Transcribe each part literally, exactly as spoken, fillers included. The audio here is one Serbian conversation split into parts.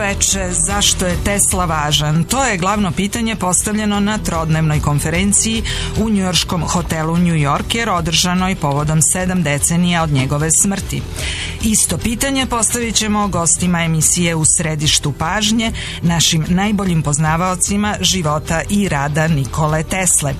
veče, zašto je Tesla važan? To je glavno pitanje postavljeno na trodnevnoj konferenciji u njujorškom hotelu New Yorker, održanoj povodom sedam decenija od njegove smrti. Isto pitanje postavit ćemo gostima emisije U središtu pažnje, našim najboljim poznavaocima života i rada Nikole Tesle.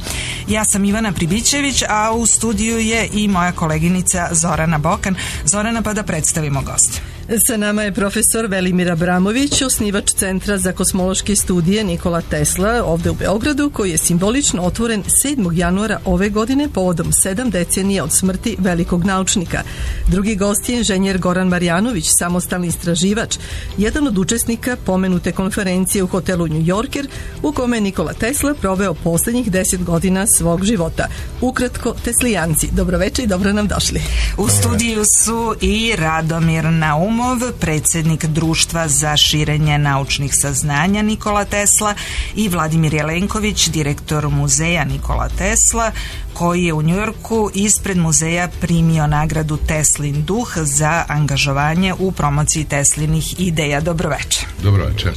Ja sam Ivana Pribićević, a u studiju je i moja koleginica Zorana Bokan. Zorana, pa da predstavimo goste. Sa nama je profesor Velimir Abramović, osnivač Centra za kosmološke studije Nikola Tesla ovde u Beogradu, koji je simbolično otvoren sedmog januara ove godine povodom sedam decenija od smrti velikog naučnika. Drugi gost je inženjer Goran Marjanović, samostalni istraživač, jedan od učesnika pomenute konferencije u hotelu New Yorker, u kome je Nikola Tesla proveo poslednjih deset godina svog života. Ukratko, teslijanci, dobroveče i dobro nam došli. U studiju su i Radomir Naum, predsjednik Društva za širenje naučnih saznanja Nikola Tesla, i Vladimir Jelenković, direktor muzeja Nikola Tesla, koji je u Njujorku ispred muzeja primio nagradu Teslin duh za angažovanje u promociji Teslinih ideja. Dobroveče. Dobroveče.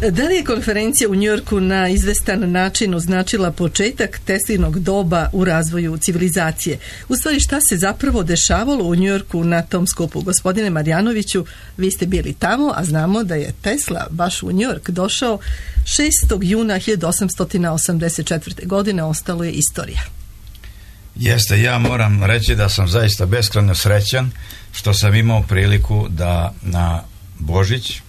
Da li je konferencija u Njujorku na izvestan način označila početak Teslinog doba u razvoju civilizacije? U stvari, šta se zapravo dešavalo u Njujorku na tom skupu? Gospodine Marjanoviću, vi ste bili tamo, a znamo da je Tesla baš u Njujork došao šestog juna hiljadu osamsto osamdeset četvrte. godine, ostalo je istorija. Jeste, ja moram reći da sam zaista beskrajno srećan što sam imao priliku da na Božić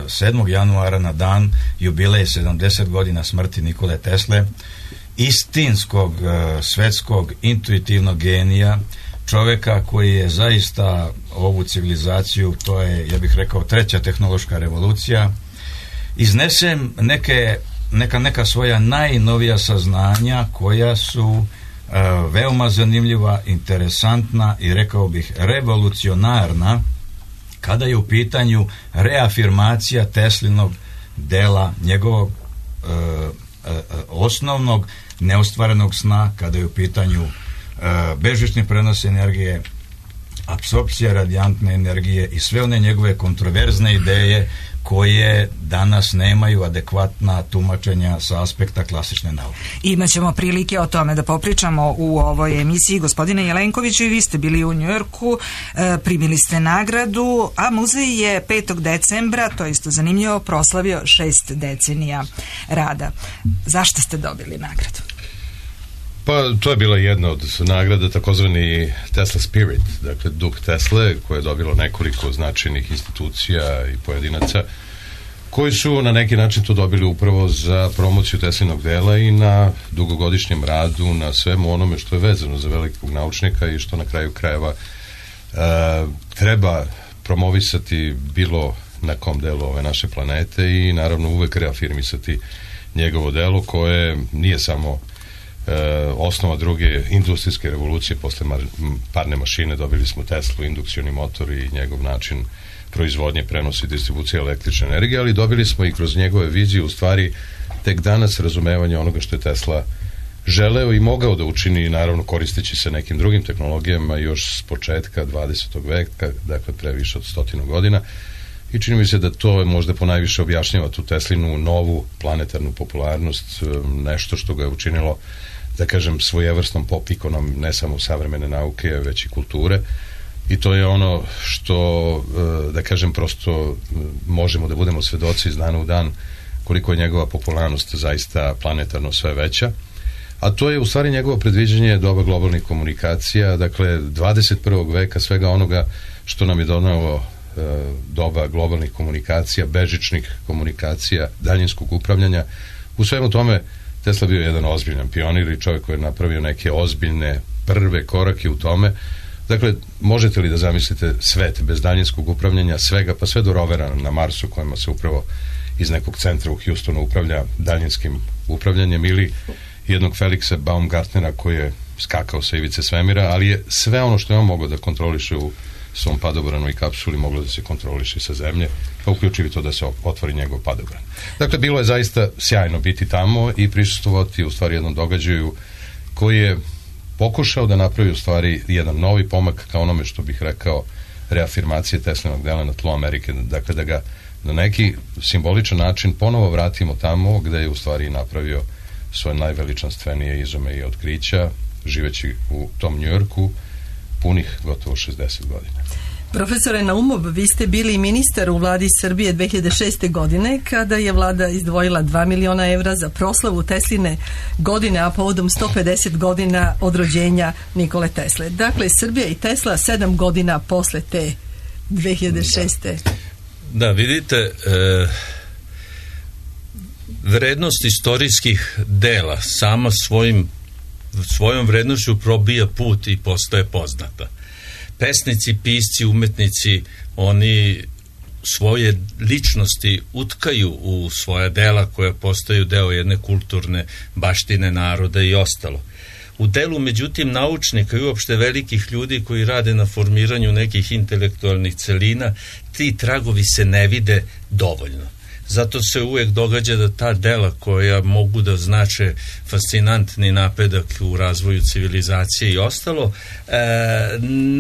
sedmog januara, na dan jubileja sedamdeset godina smrti Nikole Tesle, istinskog svetskog intuitivnog genija, čoveka koji je zaista ovu civilizaciju, to je, ja bih rekao, treća tehnološka revolucija, iznesem neke, neka, neka svoja najnovija saznanja koja su uh, veoma zanimljiva, interesantna i, rekao bih, revolucionarna kada je u pitanju reafirmacija Teslinog dela, njegovog e, e, osnovnog neostvarenog sna, kada je u pitanju e, bežični prenos energije, apsorpcija radijantne energije i sve one njegove kontroverzne ideje koje danas nemaju adekvatna tumačenja sa aspekta klasične nauke. Imaćemo prilike o tome da popričamo u ovoj emisiji. Gospodine Jelenkoviću, i vi ste bili u Njujorku, primili ste nagradu, a muzej je petog decembra, to je isto zanimljivo, proslavio šest decenija rada. Zašto ste dobili nagradu? Pa to je bila jedna od nagrada, takozvani Tesla Spirit, dakle duh Tesle, koje je dobilo nekoliko značajnih institucija i pojedinaca koji su na neki način to dobili upravo za promociju Teslinog dela i na dugogodišnjem radu, na svemu onome što je vezano za velikog naučnika i što na kraju krajeva e, treba promovisati bilo na kom delu ove naše planete i naravno uvek reafirmisati njegovo delo koje nije samo osnova druge industrijske revolucije. Posle parne mašine dobili smo Teslu, indukcioni motor i njegov način proizvodnje, prenosa i distribucije električne energije, ali dobili smo i kroz njegove vizije u stvari tek danas razumevanje onoga što je Tesla želeo i mogao da učini, naravno koristeći se nekim drugim tehnologijama još s početka dvadesetog veka, dakle pre više od stotinu godina, i čini mi se da to možda ponajviše objašnjava tu Teslinu novu planetarnu popularnost, nešto što ga je učinilo, da kažem, svojevrsnom pop ikonom ne samo savremene nauke, već i kulture, i to je ono što, da kažem, prosto možemo da budemo svedoci iz dana u dan koliko je njegova popularnost zaista planetarno sve veća, a to je u stvari njegovo predviđanje doba globalnih komunikacija, dakle dvadeset prvog veka, svega onoga što nam je donelo doba globalnih komunikacija, bežičnih komunikacija, daljinskog upravljanja. U svemu tome Tesla bio jedan ozbiljan pionir i čovjek koji je napravio neke ozbiljne prve korake u tome. Dakle, možete li da zamislite svet bez daljinskog upravljanja, svega, pa sve do rovera na Marsu kojima se upravo iz nekog centra u Houstonu upravlja daljinskim upravljanjem, ili jednog Felixa Baumgartnera koji je skakao sa ivice svemira, ali je sve ono što je on mogao da kontroliše u svom padobranoj kapsuli moglo da se kontroliše sa zemlje, pa uključivi to da se otvori njegov padobran. Dakle, bilo je zaista sjajno biti tamo i prisustvovati u stvari jednom događaju koji je pokušao da napravi u stvari jedan novi pomak ka onome što bih rekao reafirmacije Teslinog dela na tlu Amerike, dakle da ga na neki simboličan način ponovo vratimo tamo gde je u stvari napravio svoje najveličanstvenije izume i otkrića, živeći u tom Njujorku punih gotovo šezdeset godina. Profesore Naumov, vi ste bili ministar u vladi Srbije dve hiljade šeste. godine kada je vlada izdvojila dva miliona evra za proslavu Tesline godine, a povodom sto pedeset godina od rođenja Nikole Tesle. Dakle, Srbija i Tesla sedam godina posle te dve hiljade šeste. Da, da vidite, e, vrednost istorijskih dela sama svojim, svojom vrednošću probija put i postaje poznata. Pesnici, pisci, umetnici, oni svoje ličnosti utkaju u svoja dela koja postaju deo jedne kulturne baštine naroda i ostalo. U delu, međutim, naučnika i uopšte velikih ljudi koji rade na formiranju nekih intelektualnih celina, ti tragovi se ne vide dovoljno. Zato se uvek događa da ta dela koja mogu da znače fascinantni napredak u razvoju civilizacije i ostalo,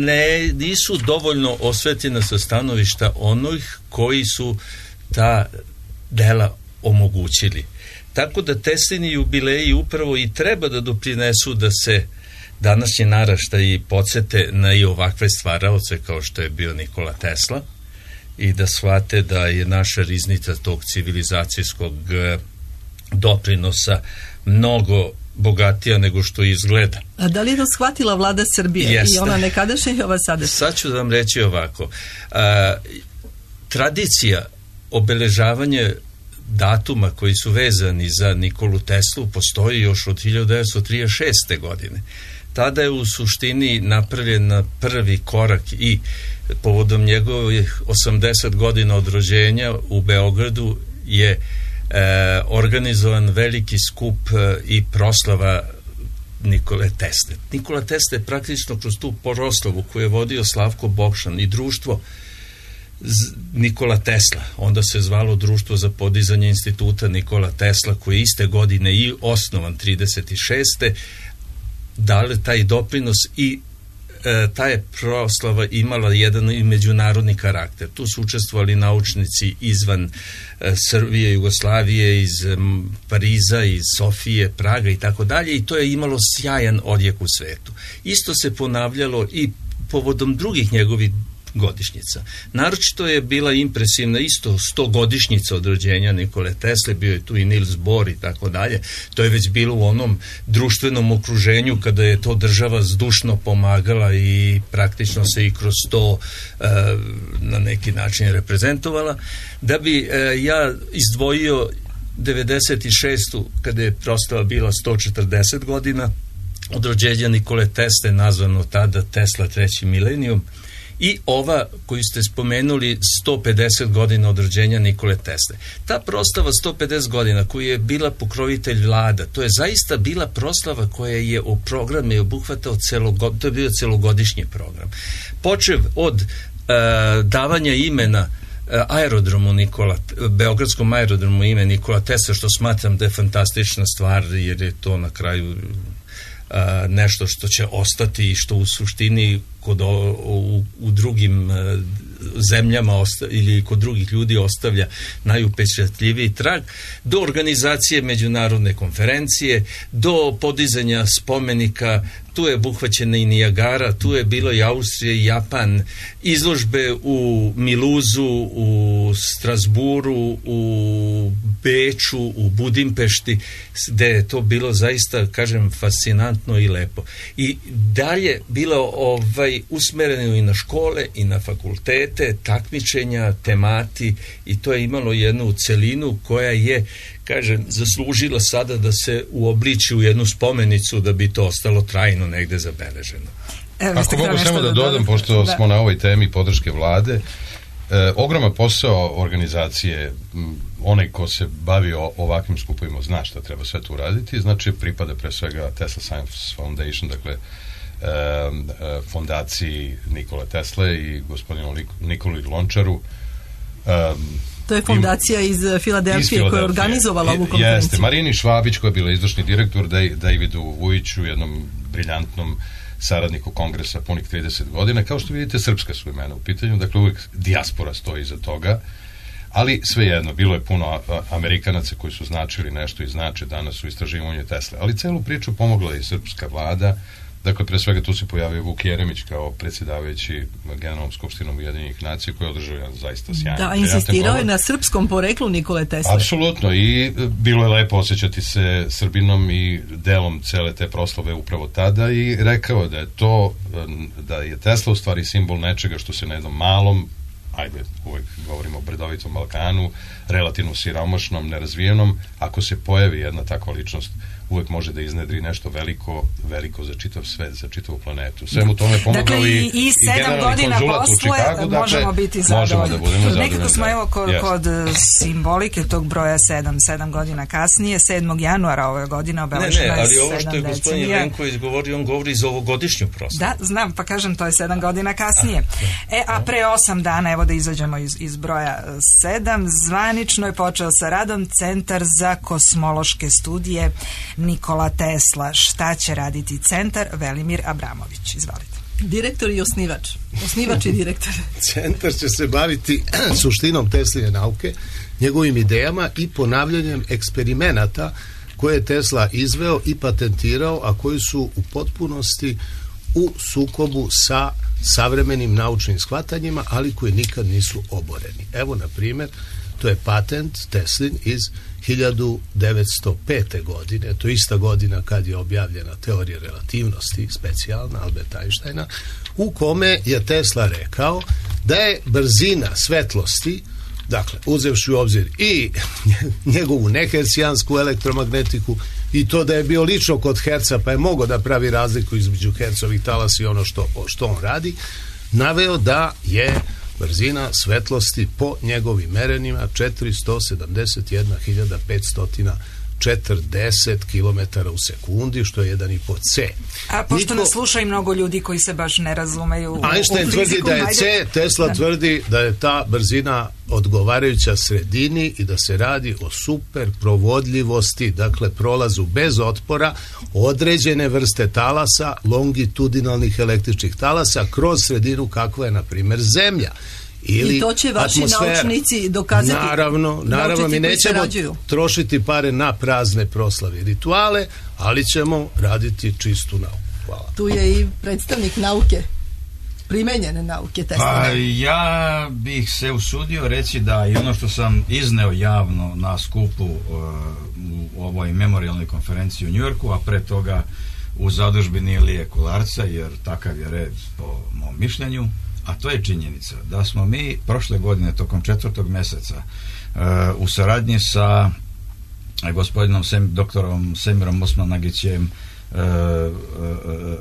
ne, nisu dovoljno osvetljena sa stanovišta onih koji su ta dela omogućili. Tako da Teslini jubileji upravo i treba da doprinesu da se današnji naraštaji podsete na i ovakve stvaraoce kao što je bio Nikola Tesla, i da shvate da je naša riznica tog civilizacijskog doprinosa mnogo bogatija nego što izgleda. A da li je to shvatila vlada Srbije? Jeste. I ona nekadašnja i ova sadašnja? Sad ću vam reći ovako. A, tradicija obeležavanja datuma koji su vezani za Nikolu Teslu postoji još od hiljadu devetsto trideset šeste. godine. Tada je u suštini napravljen prvi korak i povodom njegovih osamdeset godina od rođenja u Beogradu je e, organizovan veliki skup e, i proslava Nikole Tesle. Nikola Tesla je praktično kroz tu proslavu koju je vodio Slavko Bokšan i društvo Z- Nikola Tesla, onda se zvalo Društvo za podizanje instituta Nikola Tesla, koji je iste godine i osnovan trideset šeste. dali taj doprinos i e, ta je proslava imala jedan i međunarodni karakter. Tu su učestvovali naučnici izvan e, Srbije, Jugoslavije, iz m, Pariza, iz Sofije, Praga i tako dalje, i to je imalo sjajan odjek u svetu. Isto se ponavljalo i povodom drugih njegovih godišnjica. Naročito je bila impresivna isto stogodišnjica od rođenja Nikole Tesle, bio je tu i Niels Bohr i tako dalje. To je već bilo u onom društvenom okruženju kada je to država zdušno pomagala i praktično se i kroz to e, na neki način reprezentovala. Da bi e, ja izdvojio devedeset šestu kada je proslava bila sto četrdeset godina od rođenja Nikole Tesle, nazvano tada Tesla treći milenijum, i ova koju ste spomenuli sto pedeset godina od rođenja Nikole Tesle. Ta proslava sto pedeset godina koju je bila pokrovitelj vlada, to je zaista bila proslava koja je u programe obuhvatao celogod, to je bio celogodišnji program. Počev od uh, davanja imena uh, aerodromu Nikola, beogradskom aerodromu ime Nikola Tesla, što smatram da je fantastična stvar, jer je to na kraju uh, nešto što će ostati i što u suštini kod o, u, u drugim uh, zemljama osta, ili kod drugih ljudi ostavlja najupečatljiviji trag, do organizacije međunarodne konferencije, do podizanja spomenika. Tu je obuhvaćena i Nijagara, tu je bilo i Austrija i Japan, izložbe u Miluzu, u Strasburu, u Beču, u Budimpešti, gde je to bilo zaista, kažem, fascinantno i lepo. I dalje bilo ovaj, usmereno i na škole i na fakultete, takmičenja, temati, i to je imalo jednu celinu koja je, kažem, zaslužila sada da se uobliči u jednu spomenicu da bi to ostalo trajno negde zabeleženo. Evo, ako mogu samo da dodam, pošto da. smo na ovoj temi podrške vlade, e, ogroman posao organizacije, m, onaj ko se bavi o ovakvim skupovima zna šta treba sve tu uraditi, znači pripada pre svega Tesla Science Foundation, dakle e, e, fondaciji Nikole Tesle i gospodinu Nikoli Lončaru, e, To je fondacija iz Filadelfije koja je organizovala ovu konferenciju. Jeste, Marini Švabić koja je bila izvršni direktor, Davidu Vujiću, jednom briljantnom saradniku kongresa punih trideset godina. Kao što vidite, srpska su imena u pitanju, dakle uvijek dijaspora stoji iza toga, ali svejedno, bilo je puno Amerikanaca koji su značili nešto i znače danas u istraživanju Tesle. Ali celu priču pomogla i srpska vlada. Dakle, pre svega tu se pojavio Vuk Jeremić kao predsjedavajući Generalnom skupštinom Ujedinjenih nacija koji je održao jedan zaista sjajan. Da, insistirao je na srpskom poreklu Nikole Tesle. Apsolutno, i bilo je lepo osjećati se Srbinom i delom cele te proslave upravo tada i rekao da je to, da je Tesla u stvari simbol nečega što se na jednom malom, ajde, uvek govorimo o bredovitom Balkanu, relativno siromašnom, nerazvijenom, ako se pojavi jedna takva ličnost, uvek može da iznedri nešto veliko, veliko za čitav svet, za čitavu planetu. Svemu tome pomogao dakle, i, i, i sedam godina posle Chicago, možemo dakle, biti zadovoljni. Da budemo zadovoljni. Nekako smo evo kod, yes. kod simbolike tog broja sedam, sedam godina kasnije, sedmog januara ove godine obeleženo je sedam decenija. Ne, ne, ali ovo što je gospodin Venko izgovorio, on govori za ovogodišnju proslavu. Da, znam, pa kažem, to je sedam godina kasnije. E, a pre osam dana, evo da izađemo iz, iz broja sedam, zvanično je počeo sa radom Centar za kosmološke studije Nikola Tesla. Šta će raditi centar? Velimir Abramović. Izvolite. Direktor i osnivač. Osnivač i direktor. Centar će se baviti suštinom Tesline nauke, njegovim idejama i ponavljanjem eksperimenata koje je Tesla izveo i patentirao, a koji su u potpunosti u sukobu sa savremenim naučnim shvatanjima, ali koji nikad nisu oboreni. Evo, na primjer, to je patent Teslin iz hiljadu devetsto pete. godine, to je ista godina kad je objavljena teorija relativnosti, specijalna Alberta Einsteina, u kome je Tesla rekao da je brzina svetlosti, dakle, uzevši u obzir i njegovu nehercijansku elektromagnetiku i to da je bio lično kod Herca, pa je mogao da pravi razliku između Hercovih talasa i ono što, što on radi, naveo da je brzina svetlosti po njegovim merenjima četiristo sedamdeset jedna hiljada petsto četrdeset kilometara u sekundi, što je jedan i po C. A pošto Niko... nas sluša i mnogo ljudi koji se baš ne razumeju u, Einstein u fiziku, tvrdi da je C, Tesla da. tvrdi da je ta brzina odgovarajuća sredini i da se radi o super provodljivosti, dakle prolazu bez otpora određene vrste talasa, longitudinalnih električnih talasa kroz sredinu kakva je, na primjer, Zemlja. Ili i to će vaši atmosfera. Naučnici dokazati. Naravno, naravno mi nećemo trošiti pare na prazne proslave i rituale, ali ćemo raditi čistu nauku. Hvala. Tu je i predstavnik nauke, primenjene nauke. Pa ja bih se usudio reći da i ono što sam izneo javno na skupu uh, u ovoj memorialnoj konferenciji u Njujorku, a pre toga u zadužbini Ilije Kolarca, jer takav je red po mom mišljenju, a to je činjenica da smo mi prošle godine tokom četvrtog meseca uh, u saradnji sa gospodinom Sem, doktorom Semirom Osmanagićem, uh, uh, uh,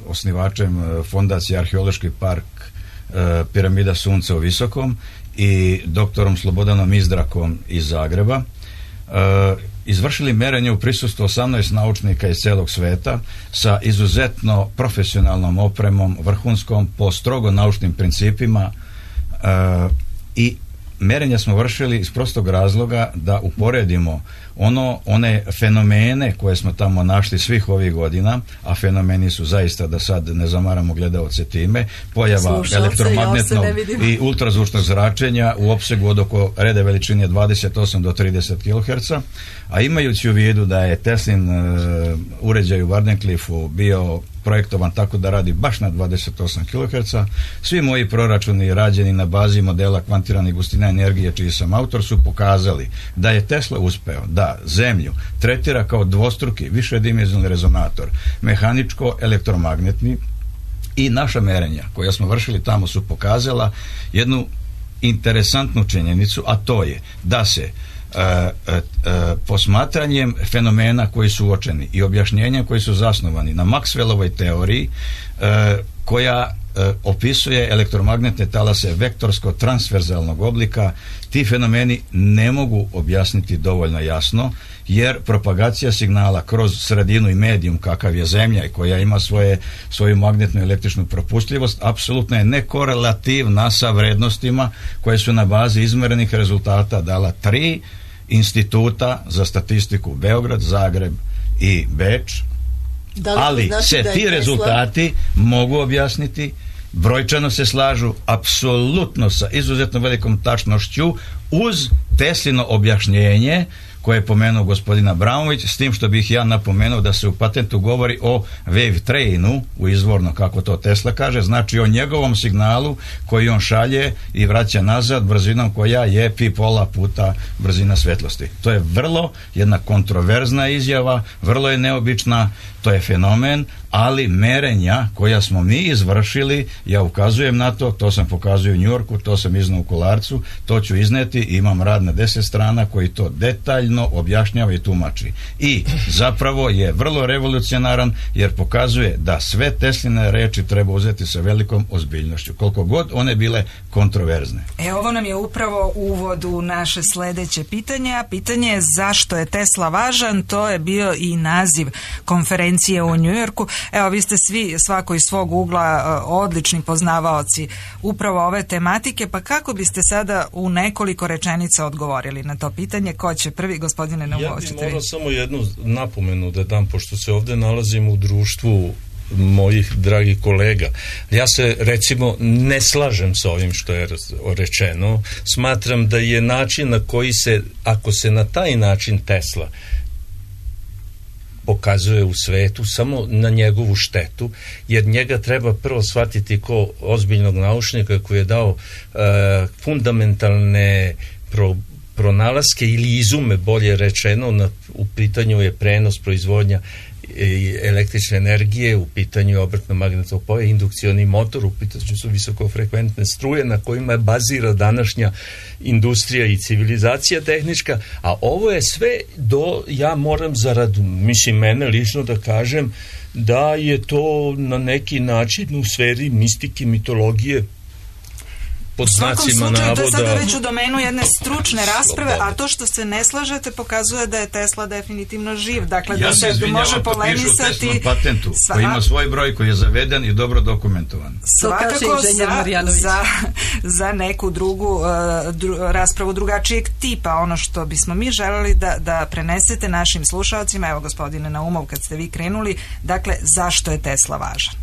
osnivačem fondacije Arheološki park uh, Piramida Sunca u Visokom i doktorom Slobodanom Izdrakom iz Zagreba, uh, izvršili merenje u prisustvu osamnaest naučnika iz celog sveta sa izuzetno profesionalnom opremom, vrhunskom, po strogo naučnim principima, uh, i merenja smo vršili iz prostog razloga da uporedimo ono, one fenomene koje smo tamo našli svih ovih godina, a fenomeni su zaista, da sad ne zamaramo gledaoce time, pojava slušalce, elektromagnetnog ja i ultrazvučnog zračenja u opsegu od oko reda veličine dvadeset osam do trideset kiloherca, a imajući u vidu da je Teslin uh, uređaj u Wardenclyffu bio projektovan tako da radi baš na dvadeset osam kiloherca, svi moji proračuni rađeni na bazi modela kvantirane gustine energije, čiji sam autor, su pokazali da je Tesla uspeo da Zemlju tretira kao dvostruki višedimenzionalni rezonator, mehaničko-elektromagnetni, i naša merenja koja smo vršili tamo su pokazala jednu interesantnu činjenicu, a to je da se Uh, uh, uh, posmatranjem fenomena koji su uočeni i objašnjenja koji su zasnovani na Maxwellovoj teoriji, uh, koja e, opisuje elektromagnetne talase vektorsko-transverzalnog oblika. Ti fenomeni ne mogu objasniti dovoljno jasno, jer propagacija signala kroz sredinu i medijum kakav je Zemlja i koja ima svoje, svoju magnetnu i električnu propustljivost, apsolutno je nekorelativna sa vrednostima koje su na bazi izmerenih rezultata dala tri instituta za statistiku Beograd, Zagreb i Beč, ali znači se ti Tesla... rezultati mogu objasniti, brojčano se slažu apsolutno sa izuzetno velikom tačnošću uz Teslino objašnjenje koje je pomenuo gospodin Abramović, s tim što bih ja napomenuo da se u patentu govori o wave trainu, u izvorno kako to Tesla kaže, znači o njegovom signalu koji on šalje i vraća nazad brzinom koja je pi pola puta brzina svetlosti. To je vrlo jedna kontroverzna izjava, vrlo je neobična, to je fenomen, ali merenja koja smo mi izvršili, ja ukazujem na to, to sam pokazuje u Njujorku, to sam iznao u Kolarcu, to ću izneti, imam rad na deset strana koji to detaljno objašnjava i tumači. I zapravo je vrlo revolucionaran jer pokazuje da sve Tesline reči treba uzeti sa velikom ozbiljnošću, koliko god one bile kontroverzne. E, ovo nam je upravo uvod u naše sledeće pitanje, a pitanje je zašto je Tesla važan, to je bio i naziv konferencije u Njujorku. Evo, vi ste svi, svako iz svog ugla, odlični poznavaoci upravo ove tematike, pa kako biste sada u nekoliko rečenica odgovorili na to pitanje? Ko će prvi, gospodine Naumović? Ja bih morao samo jednu napomenu da dam, pošto se ovde nalazim u društvu mojih dragih kolega. Ja se recimo ne slažem sa ovim što je rečeno. Smatram da je način na koji se, ako se na taj način Tesla pokazuje u svetu, samo na njegovu štetu, jer njega treba prvo shvatiti ko ozbiljnog naučnika koji je dao e, fundamentalne pro, pronalaske ili izume, bolje rečeno, na, u pitanju je prenos, proizvodnja električne energije, u pitanju je obrtno magnetno polje, indukcioni motor, u pitanju su visokofrekventne struje na kojima je bazira današnja industrija i civilizacija tehnička, a ovo je sve do, ja moram zarad, mislim mene lično da kažem, da je to na neki način u sferi mistike, mitologije, pod znacima navoda. To je sada već u domenu jedne stručne rasprave, a to što se ne slažete pokazuje da je Tesla definitivno živ. Dakle, ja da se, se može polemisati. Ja se patentu, sva... koji ima svoj broj, koji je zaveden i dobro dokumentovan. Svakako za, za, za neku drugu uh, dru, raspravu drugačijeg tipa. Ono što bismo mi želeli da, da prenesete našim slušalcima, evo gospodine Naumov, kad ste vi krenuli, dakle, zašto je Tesla važan?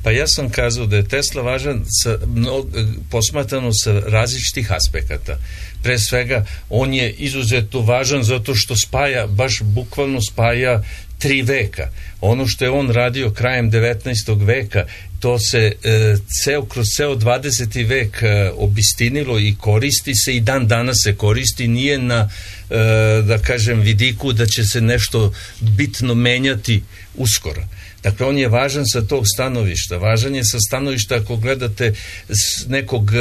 Pa ja sam kazao da je Tesla važan sa, no, posmatrano sa različitih aspekata. Pre svega, on je izuzetno važan zato što spaja, baš bukvalno spaja tri veka. Ono što je on radio krajem devetnaestog veka, to se e, ceo, kroz ceo dvadeseti vek e, obistinilo i koristi se i dan danas se koristi, nije na, e, da kažem, vidiku da će se nešto bitno menjati uskoro. Dakle, on je važan sa tog stanovišta. Važan je sa stanovišta ako gledate s nekog e,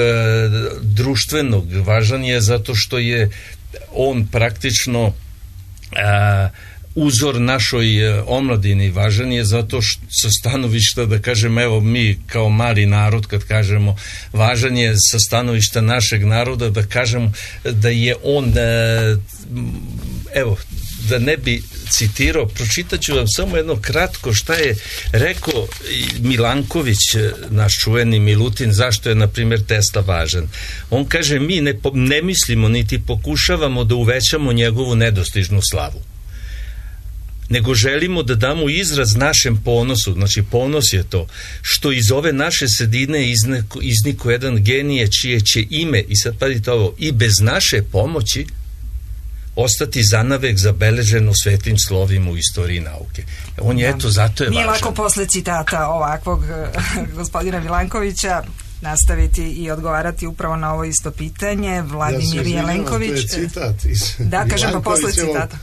društvenog. Važan je zato što je on praktično e, uzor našoj e, omladini. Važan je zato što sa stanovišta, da kažem, evo mi kao mali narod, kad kažemo, važan je sa stanovišta našeg naroda, da kažem da je on e, evo, da ne bi citirao, pročitat ću vam samo jedno kratko šta je rekao Milanković, naš čuveni Milutin, zašto je, na primjer, Tesla važan. On kaže, mi ne, ne mislimo niti pokušavamo da uvećamo njegovu nedostižnu slavu, nego želimo da damo izraz našem ponosu. Znači, ponos je to što iz ove naše sredine izniko, izniko jedan genije čije će ime, i sad pazite ovo, i bez naše pomoći ostati zanavek zabeleženo svetim slovima u istoriji nauke. On je, eto, zato je Nije važan. Nije lako posle citata ovakvog gospodina Milankovića nastaviti i odgovarati upravo na ovo isto pitanje. Vladimir ja Jelenković. To je citat iz da, kažem, pa posle citata.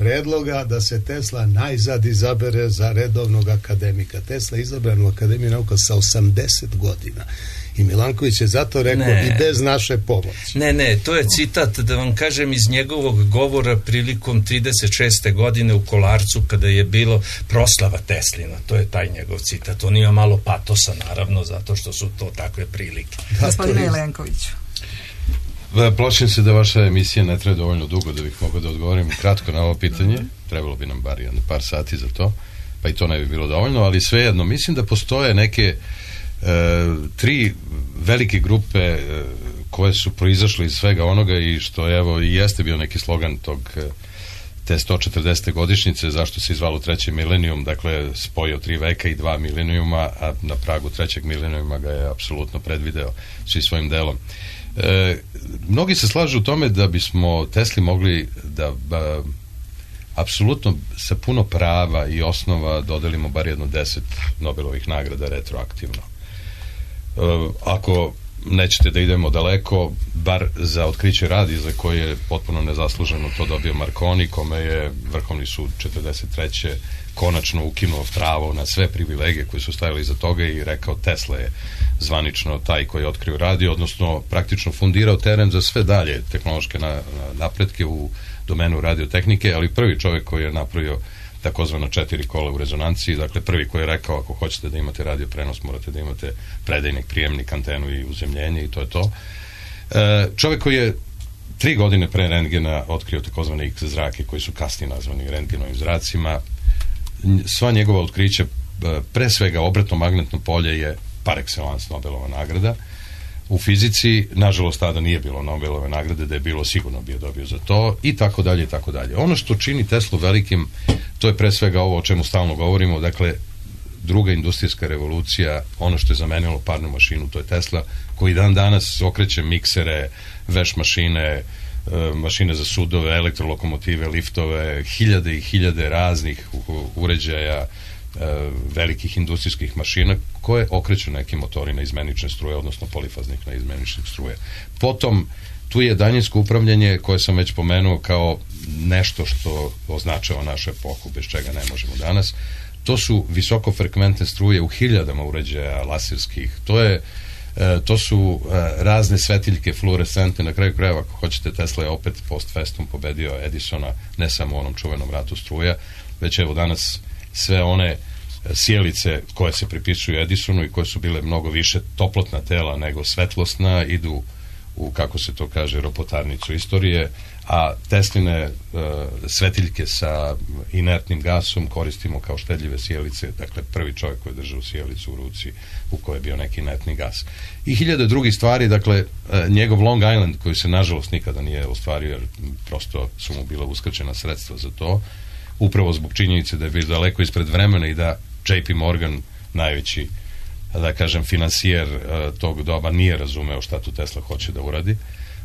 predloga da se Tesla najzad izabere za redovnog akademika. Tesla je izabran u Akademiju nauka sa osamdeset godina. I Milanković je zato rekao ne, i bez naše pomoći. Ne, ne, to je citat, da vam kažem, iz njegovog govora prilikom trideset šeste godine u Kolarcu, kada je bilo proslava Teslina. To je taj njegov citat. On ima malo patosa, naravno, zato što su to takve prilike. Da, gospodine Jelenkoviću. Plašim se da vaša emisija ne traje dovoljno dugo da bih mogao da odgovorim kratko na ovo pitanje. Trebalo bi nam bar jedno par sati za to, pa i to ne bi bilo dovoljno, ali svejedno, mislim da postoje neke E, tri velike grupe e, koje su proizašle iz svega onoga i što evo i jeste bio neki slogan tog e, te sto četrdesete godišnjice, zašto se izvalo treći milenijum, dakle spojio tri veka i dva milenijuma, a na pragu trećeg milenijuma ga je apsolutno predvideo svi svojim delom. E, mnogi se slažu u tome da bismo Tesli mogli da ba, apsolutno sa puno prava i osnova dodelimo bar jedno deset Nobelovih nagrada retroaktivno. Uh, ako nećete da idemo daleko, bar za otkriće radija za koje je potpuno nezasluženo to dobio Marconi, kome je Vrhovni sud četrdeset treće konačno ukinuo pravo na sve privilegije koje su stajali iza toga i rekao Tesla je zvanično taj koji je otkrio radio, odnosno praktično fundirao teren za sve dalje tehnološke na, na, napretke u domenu radiotehnike, ali prvi čovjek koji je napravio takozvano četiri kola u rezonanciji, dakle prvi koji je rekao ako hoćete da imate radio prenos morate da imate predajnik, prijemnik, antenu i uzemljenje i to je to. E, čovjek koji je tri godine pre rentgena otkrio takozvane X zrake koji su kasnije nazvani rentgenovim zracima. Sva njegova otkrića, pre svega obratno magnetno polje je par excellence Nobelova nagrada. U fizici, nažalost, tada nije bilo Nobelove nagrade, da je bilo sigurno bi je dobio za to i tako dalje i tako dalje. Ono što čini Teslu velikim, to je pre svega ovo o čemu stalno govorimo, dakle, druga industrijska revolucija, ono što je zamenilo parnu mašinu, to je Tesla, koji dan danas okreće miksere, veš mašine, mašine za sudove, elektrolokomotive, liftove, hiljade i hiljade raznih uređaja, velikih industrijskih mašina koje okreću neki motori na izmenične struje, odnosno polifaznih na izmenične struje. Potom tu je daljinsko upravljanje koje sam već pomenuo kao nešto što označava našu epohu, bez čega ne možemo danas. To su visokofrekventne struje u hiljadama uređaja laserskih. To je to su razne svetiljke fluorescentne, na kraju krajeva ako hoćete Tesla je opet post festum pobedio Edisona ne samo u onom čuvenom ratu struja, već evo danas sve one sjelice koje se pripisuju Edisonu i koje su bile mnogo više toplotna tela nego svetlosna idu u, kako se to kaže, ropotarnicu istorije, a Tesline uh, svetiljke sa inertnim gasom koristimo kao štedljive sjelice, dakle prvi čovjek koji je držao sjelicu u ruci u kojoj je bio neki inertni gas. I hiljade drugih stvari, dakle uh, njegov Long Island koji se nažalost nikada nije ostvario jer prosto su mu bila uskraćena sredstva za to, upravo zbog činjenice da je bio daleko ispred vremena i da J P Morgan, najveći, da kažem, finansijer uh, tog doba, nije razumeo šta tu Tesla hoće da uradi.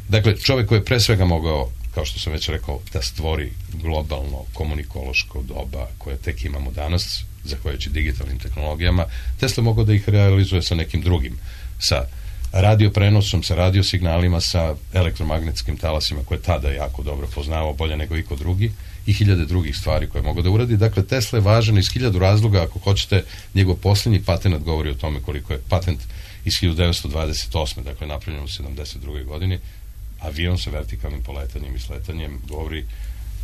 Dakle, čovjek koji je pre svega mogao, kao što sam već rekao, da stvori globalno komunikološko doba koje tek imamo danas, zahvaljujući digitalnim tehnologijama, Tesla mogao da ih realizuje sa nekim drugim, sa radioprenosom, sa radiosignalima, sa elektromagnetskim talasima koje tada jako dobro poznavao, bolje nego iko drugi, i hiljade drugih stvari koje mogu da uradi. Dakle, Tesla je važan iz hiljadu razloga, ako hoćete, njegov posljednji patent govori o tome koliko je patent iz hiljadu devetsto dvadeset osme, dakle napravljen u sedamdeset drugoj godini, avion sa vertikalnim poletanjem i sletanjem govori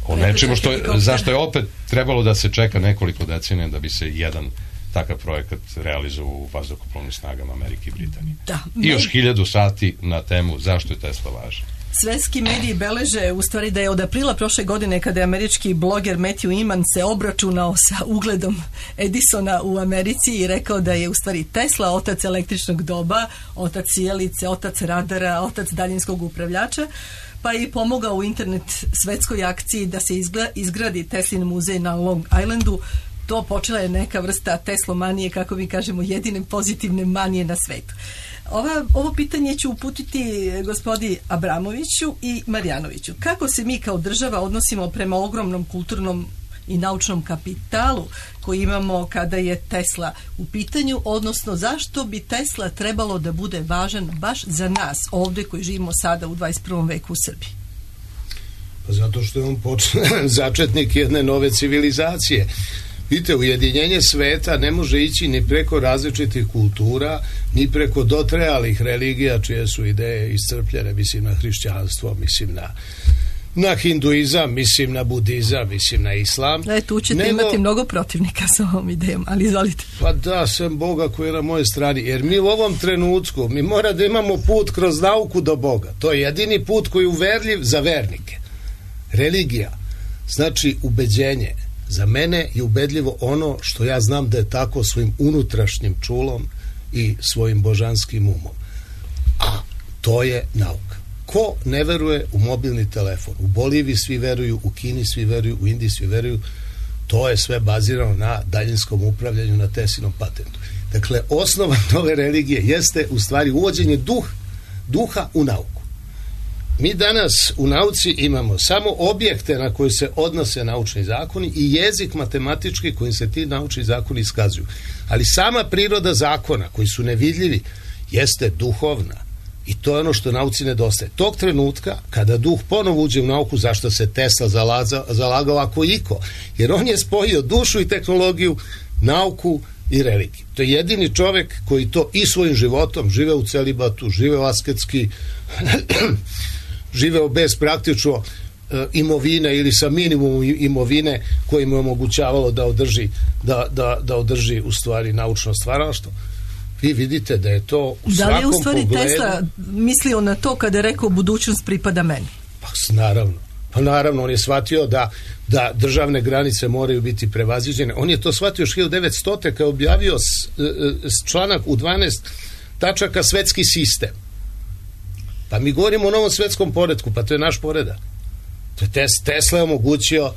o nečemu što je, zašto je opet trebalo da se čeka nekoliko decenija da bi se jedan takav projekat realizovao u vazduhoplovnim snagama Amerike i Britanije. Da, I još hiljadu sati na temu zašto je Tesla važan. Svetski mediji beleže u stvari da je od aprila prošle godine kada je američki bloger Matthew Iman se obračunao sa ugledom Edisona u Americi i rekao da je u stvari Tesla otac električnog doba, otac sjelice, otac radara, otac daljinskog upravljača, pa je i pomogao u internet svetskoj akciji da se izgradi Teslin muzej na Long Islandu. To počela je neka vrsta teslomanije, kako mi kažemo, jedine pozitivne manije na svetu. Ova, ovo pitanje ću uputiti gospodi Abramoviću i Marjanoviću. Kako se mi kao država odnosimo prema ogromnom kulturnom i naučnom kapitalu koji imamo kada je Tesla u pitanju, odnosno zašto bi Tesla trebalo da bude važan baš za nas ovdje koji živimo sada u dvadeset prvom veku u Srbiji? Pa zato što je on počeo začetnik jedne nove civilizacije. Vidite, ujedinjenje sveta ne može ići ni preko različitih kultura, ni preko dotrajalih religija čije su ideje iscrpljene, mislim na hrišćanstvo, mislim na na hinduizam, mislim na budizam, mislim na islam. E, tu ćete nego, imati mnogo protivnika sa ovom idejom, ali izvolite. Pa da, sem Boga koji je na mojoj strani, jer mi u ovom trenutku, mi mora da imamo put kroz nauku do Boga. To je jedini put koji je uverljiv za vernike. Religija, znači ubeđenje. Za mene je ubedljivo ono što ja znam da je tako svojim unutrašnjim čulom i svojim božanskim umom. A to je nauka. Ko ne veruje u mobilni telefon? U Boliviji svi veruju, u Kini svi veruju, u Indiji svi veruju. To je sve bazirano na daljinskom upravljanju, na Teslinom patentu. Dakle, osnova nove religije jeste u stvari uvođenje duh, duha u nauku. Mi danas u nauci imamo samo objekte na koje se odnose naučni zakoni i jezik matematički kojim se ti naučni zakoni iskazuju. Ali sama priroda zakona, koji su nevidljivi, jeste duhovna. I to je ono što nauci nedostaje. Tog trenutka, kada duh ponovo uđe u nauku, zašto se Tesla zalaza, zalagao ako iko? Jer on je spojio dušu i tehnologiju, nauku i religiju. To je jedini čovek koji to i svojim životom, živeo u celibatu, živeo asketski, živeo bez praktično e, imovine ili sa minimum imovine koji mu je omogućavalo da održi, da, da, da održi u stvari naučno stvaralaštvo. Vi vidite da je to u svakom pogledu... Da li je u stvari pogledu... Tesla mislio na to kada je rekao budućnost pripada meni? Pa naravno. Pa naravno, on je shvatio da, da državne granice moraju biti prevaziđene. On je to shvatio još hiljadu devetsto. kada je objavio s, s članak u dvanaest tačaka svetski sistem. Pa mi govorimo o novom svetskom poretku, pa to je naš poredak. To je Tesla je omogućio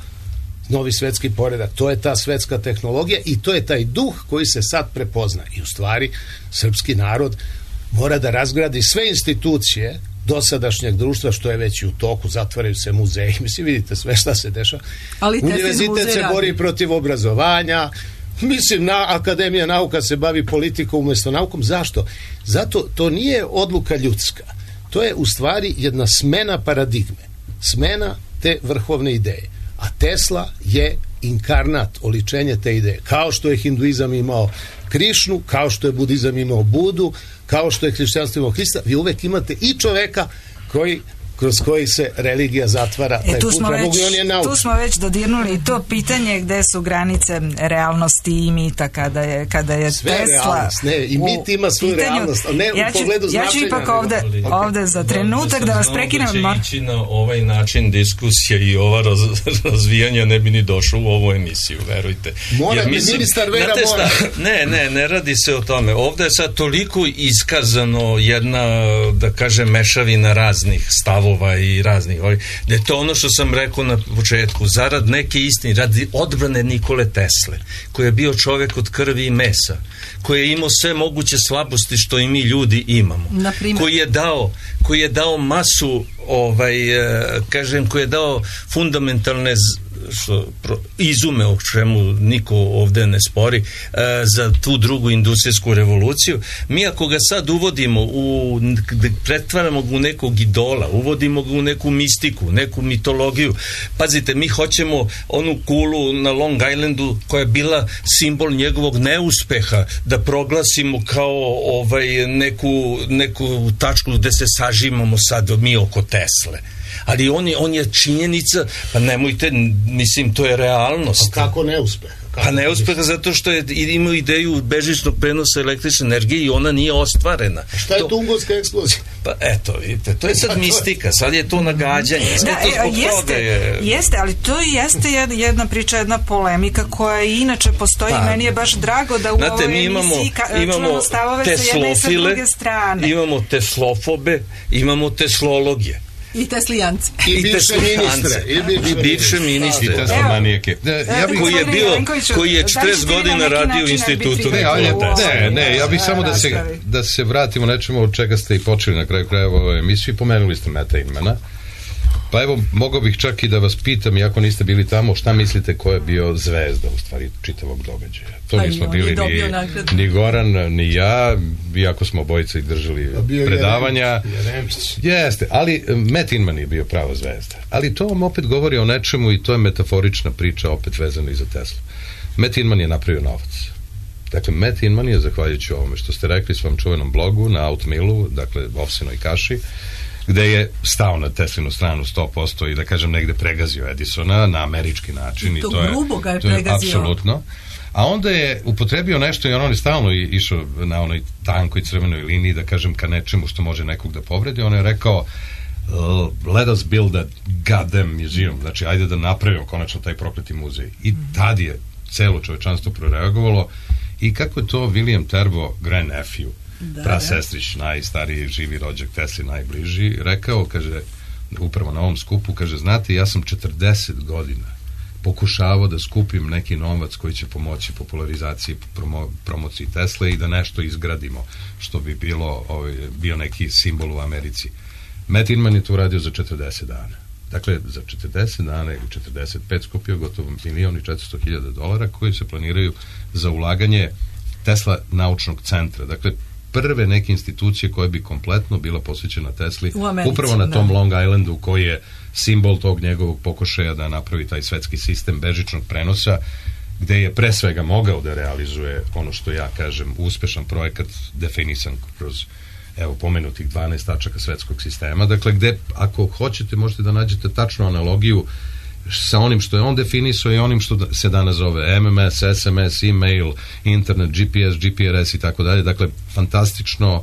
novi svetski poredak. To je ta svetska tehnologija i to je taj duh koji se sad prepozna. I u stvari, srpski narod mora da razgradi sve institucije dosadašnjeg društva, što je već u toku, zatvaraju se muzeji, mislim, vidite sve šta se dešava. Ali univerzitet se bori radi protiv obrazovanja, mislim, na Akademija nauka se bavi politikom umjesto naukom. Zašto? Zato to nije odluka ljudska. To je u stvari jedna smena paradigme, smena te vrhovne ideje. A Tesla je inkarnat, oličenje te ideje. Kao što je hinduizam imao Krišnu, kao što je budizam imao Budu, kao što je hrišćanstvo imao Hrista, vi uvek imate i čoveka koji kroz koji se religija zatvara. E, tu, smo već, tu smo već dodirnuli to pitanje gde su granice realnosti i mita kada je, kada je sve Tesla. Realnost, ne, i mit ima svoju pitanju, realnost, ali ne ja ću, u pogledu značenja. Ja ću ipak ovde, okay. ovde za trenutak da, da vas prekinem. Da će ići na ovaj način diskusija i ova raz, razvijanja ne bi ni došlo u ovu emisiju, verujte. Mora bi ministar Vera mora. Ne, ne, ne radi se o tome. Ovde je sad toliko iskazano jedna, da kažem, mešavina raznih stavova i raznih ovih, da je to ono što sam rekao na početku, zarad neke istine, radi odbrane Nikole Tesle, koji je bio čovjek od krvi i mesa, koji je imao sve moguće slabosti što i mi ljudi imamo, koji je dao koji je dao masu ovaj, kažem, koji je dao fundamentalne što, pro, izume, o čemu niko ovde ne spori, e, za tu drugu industrijsku revoluciju. Mi ako ga sad uvodimo u, pretvaramo ga u nekog idola, uvodimo ga u neku mistiku, neku mitologiju, pazite, mi hoćemo onu kulu na Long Islandu koja je bila simbol njegovog neuspeha da proglasimo kao ovaj, neku, neku tačku gde se sažimamo sad mi oko Tesle. Ali on je, on je činjenica, pa nemojte, mislim, to je realnost. Pa kako neuspeh? Pa neuspeha zato što je imao ideju bežičnog prenosa električne energije i ona nije ostvarena. A šta je to, Tunguska eksplozija? Pa eto, vidite, to je sad mistika, sad je to nagađanje. Da, e, jeste, je... jeste, ali to jeste jedna priča, jedna polemika koja inače postoji i meni je baš drago da u znate, ovoj imamo, emisiji ka, imamo stavove sa jedne i sa druge strane. Imamo teslofobe, imamo teslologije. I teslijanci. I, I bivše ministre. I bivše ministre. I teslomanijeke. Ja bih koji je bio, koji je četrdeset godina radio u institutu. Ne, ne, ne, ja bih samo da se, da se vratimo nečemu od čega ste i počeli na kraju krajeva ove emisije. Pomenuli ste Meta Inmana. Pa Pa evo, mogao bih čak i da vas pitam, iako niste bili tamo, šta mislite ko je bio zvezda u stvari čitavog događaja? To pa nismo bili ni, ni Goran, ni ja, iako smo obojica i držali predavanja. Jeste, ali Matt Inman je bio prava zvezda. Ali to vam opet govori o nečemu i to je metaforična priča opet vezana i za Teslu. Matt Inman je napravio novac. Dakle, Matt Inman je, zahvaljujući ovome što ste rekli svom čuvenom blogu na Outmillu, dakle, ovsinoj kaši, gde je stao na Teslinu stranu sto posto i da kažem negde pregazio Edisona na američki način. I to, I to je, grubo ga je to je pregazio. apsolutno. A onda je upotrebio nešto i on je stalno išao na onoj tankoj crvenoj liniji, da kažem, ka nečemu što može nekog da povredi. On je rekao, uh, let us build a goddamn museum. Znači, ajde da napravimo konačno taj prokleti muzej. I tad je celo čovečanstvo proreagovalo. I kako je to William Terbo, grandnephew, da, prasestrić, najstariji živi rođak Tesli, najbliži, rekao, kaže, upravo na ovom skupu, kaže, znate, ja sam četrdeset godina pokušavao da skupim neki novac koji će pomoći popularizaciji, promo, promociji Tesle i da nešto izgradimo, što bi bilo, ovaj, bio neki simbol u Americi. Matt Inman je to uradio za četrdeset dana. Dakle, za četrdeset dana ili četrdeset pet skupio gotovo milion i četiristo hiljada dolara koji se planiraju za ulaganje Tesla naučnog centra. Dakle, prve neke institucije koje bi kompletno bila posvećena Tesli Americi, upravo na tom da. Long Islandu koji je simbol tog njegovog pokušaja da napravi taj svetski sistem bežičnog prenosa, gde je pre svega mogao da realizuje ono što ja kažem uspešan projekat definisan kroz evo pomenutih dvanaest tačaka svetskog sistema, dakle gde ako hoćete možete da nađete tačnu analogiju sa onim što je on definisao i onim što se danas zove M M S, S M S, e-mail, internet, G P S, G P R S i tako dalje, dakle fantastično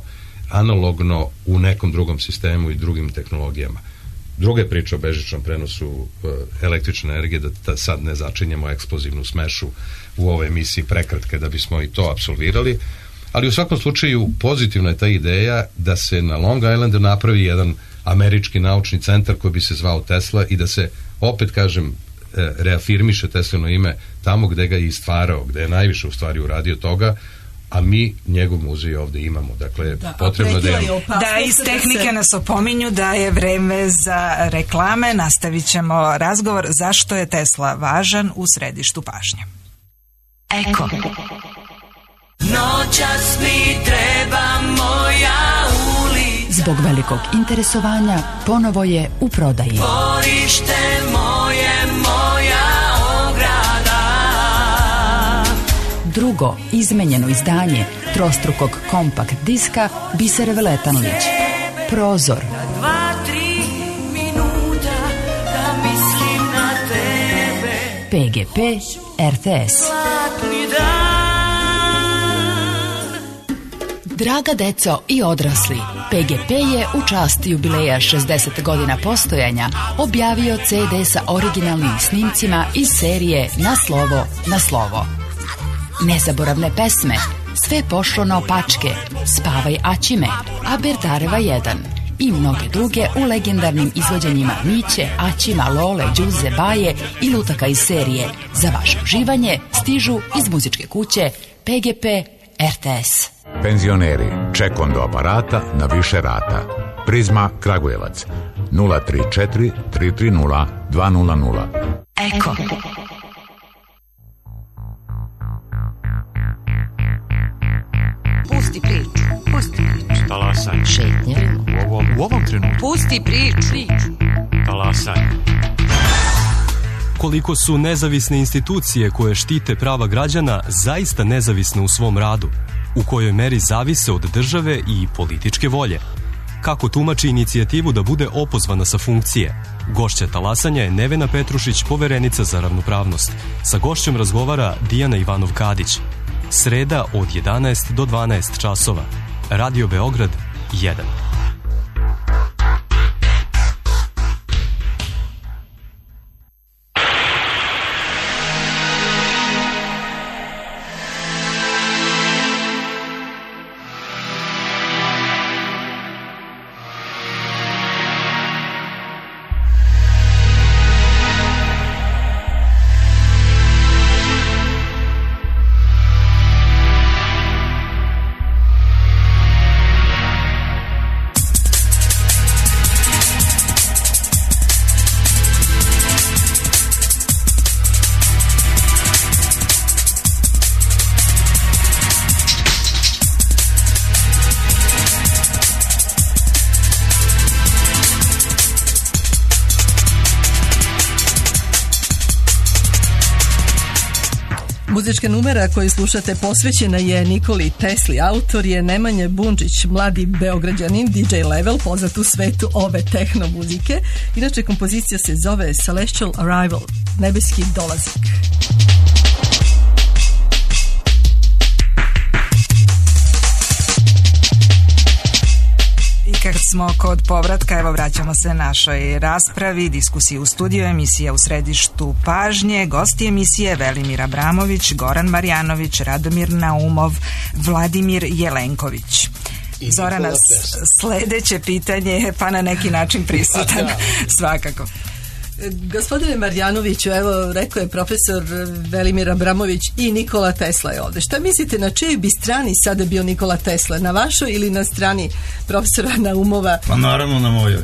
analogno u nekom drugom sistemu i drugim tehnologijama. Druga priča o bežičnom prenosu uh, električne energije, da, da sad ne začinjemo eksplozivnu smešu u ovoj emisiji prekratke da bismo i to apsolvirali, ali u svakom slučaju pozitivna je ta ideja da se na Long Islandu napravi jedan američki naučni centar koji bi se zvao Tesla i da se, opet kažem, reafirmiše Teslino ime tamo gde ga je i stvarao, gde je najviše u stvari uradio toga, a mi njegov muzej ovde imamo. Dakle, da, potrebno da je... Da, iz tehnike nas opominju da je vreme za reklame. Nastavit ćemo razgovor zašto je Tesla važan u središtu pažnje. Eko. Noćas mi treba moja uli. Zbog velikog interesovanja ponovo je u prodaji. Dvorište moje, moja ograda. Drugo izmenjeno izdanje trostrukog kompakt diska Bisere Veletanlić. Prozor. Dva, tri minuta da mislim na tebe. P G P R T S. Zlatni dan. Draga deco i odrasli, P G P je u čast jubileja šezdeset godina postojanja objavio C D sa originalnim snimcima iz serije Na slovo, na slovo. Nezaboravne pesme, Sve pošlo na opačke, Spavaj Aćime, Aberdareva jedan i mnoge druge u legendarnim izvođenjima Miće, Aćima, Lole, Đuze, Baje i lutaka iz serije. Za vaše uživanje stižu iz muzičke kuće P G P R T S. Penzioneri, ček do aparata na više rata. Prizma Kragujevac nula tri četiri tri tri nula dva nula nula. Eko. Pusti priču, pusti priču. Talasaj. Šetnje. U ovom, u ovom trenutku. Pusti priču. Talasaj. Koliko su nezavisne institucije koje štite prava građana zaista nezavisne u svom radu? U kojoj meri zavise od države i političke volje? Kako tumači inicijativu da bude opozvana sa funkcije? Gošća talasanja je Nevena Petrušić, poverenica za ravnopravnost. Sa gošćom razgovara Dijana Ivanov-Kadić. Sreda od jedanaest do dvanaest časova. Radio Beograd jedan. muzička numera koju slušate posvećena je Nikoli Tesli. Autor je Nemanja Bundžić, mladi beograđanin, D J Level, poznat u svetu ove tehno muzike. Inače, kompozicija se zove Celestial Arrival, nebeski dolazak. I kad smo kod povratka, evo vraćamo se našoj raspravi, diskusiji u studiju, emisija u središtu pažnje, gosti emisije Velimir Abramović, Goran Marjanović, Radomir Naumov, Vladimir Jelenković. Zorana, sledeće pitanje je pa na neki način prisutan, svakako. Gospodine Marjanoviću, evo rekao je profesor Velimir Abramović i Nikola Tesla je ovde. Šta mislite, na čijoj bi strani sada bio Nikola Tesla? Na vašoj ili na strani profesora Naumova? Pa naravno na mojoj.